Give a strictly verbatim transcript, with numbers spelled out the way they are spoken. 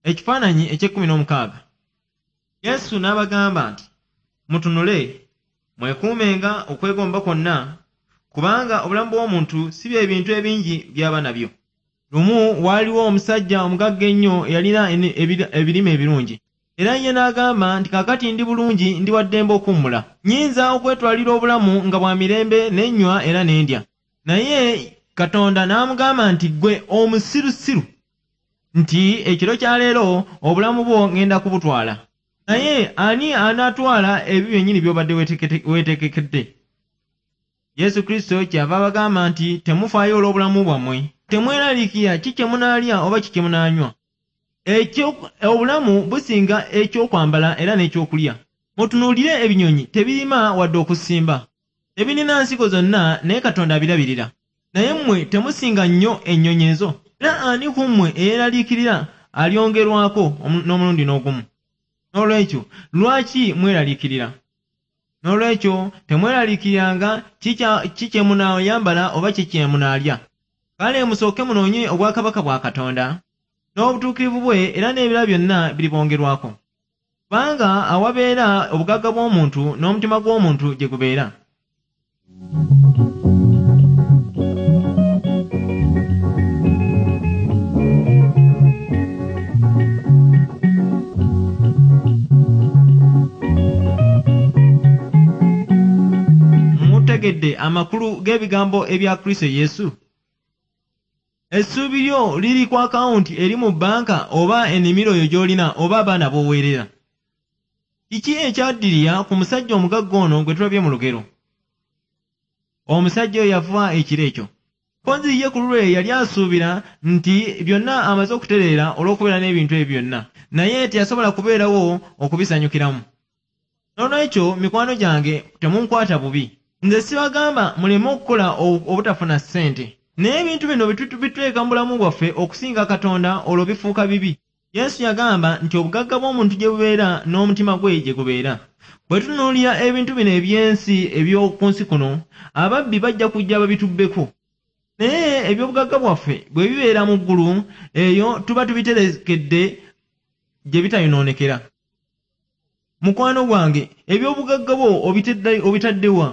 Ekifaananyi eky'ekkumi n'omukaaga. Yesu n'abagamba nti, mutunule, mwekuumenga okwegomba kwonna, kubanga obulamu bw'omuntu si bye bintu ebingi by'aba nabyo. Lumu waaliwo omusajja omugagga ennyo eyalina ebirime ebirungi. Era ye n'agamba nti kaakati ndi bulungi, ndi wa ddembe okuwummula. Nnyinza okwetwalira obulamu nga bwa mirembe, ne nnywa era ne ndya. Naye Katonda n'amugamba nti ggwe omusirusiru, nti ekiro kya leero obulamu bwo ŋŋenda kubutwala. Naye ani anaatwala ebyo byennyini by'obadde weetegekedde? Yesu Kristo kyava abagamba nti temufaayo olw'obulamu bwammwe. Temweraliikirira ki kye munaalya oba ki kye munaanywa. Obulamu businga ekyokwambala era n'ekyokulya. Mutunuulire ebinyonyi, tebirima wadde okusimba. Tebirina nsigo zonna, naye Katonda abirabirira. Naye mmwe temusinga nnyo ennyonyi ezo? Era ani ku mmwe eyeeraliikirira alyongerwako n'omulundi n'ogumu? N'olwekyo lwaki mweraliikirira? N'olwekyo temweraliikiriranga ki kye munaayambala oba ki kye munaalya. Kale musooke munoonye obwakabaka bwa Katonda n'obutuukirivu bwe, era n'ebirala byonna biribongerwako. Kubanga awabeera obugagga bw'omuntu n'omutima gw'omuntu gye gubeera. Mutegedde amakulu g'ebigambo ebya Kristo Yesu? Essuubi lyo liri ku akawunti eri mu bbanka oba ennimiro yo gy'olina oba abaana b'oweerera. Kiki ekyaddirira ku musajja omugagga ono gwe tulabye mu lugero? Omusajja oyo yafa ekiro ekyo. Mpozzi ye ku lulwe yali asuubira nti byonna amaze okutereera olw'okubeera n'ebintu ebyo byonna, naye teyasobola kubeerawo okubisanyukiramu. Noolwekyo mikwano gyange temunkwata bubi. Nze sibagamba muleme okukola obutafuna ssente. Naye ebintu bino bituteeka mu bulamu bwaffe okusinga Katonda, olwo bifuuka bibi. Yesu yagamba nti obugagga bw'omuntu gye bubeera n'omutima gwe gye gubeera. Bwe tutunuulira ebintu bino eby'ensi eby'oku nsi kuno, ababbi bajja kujja babitubbeko. Naye eby'obugagga bwaffe bwe bibeera mu ggulu, eyo tuba tubiterekedde gye bitayonoonekera. Mukwano gwange, eby'obugagga bwo obitadde wa?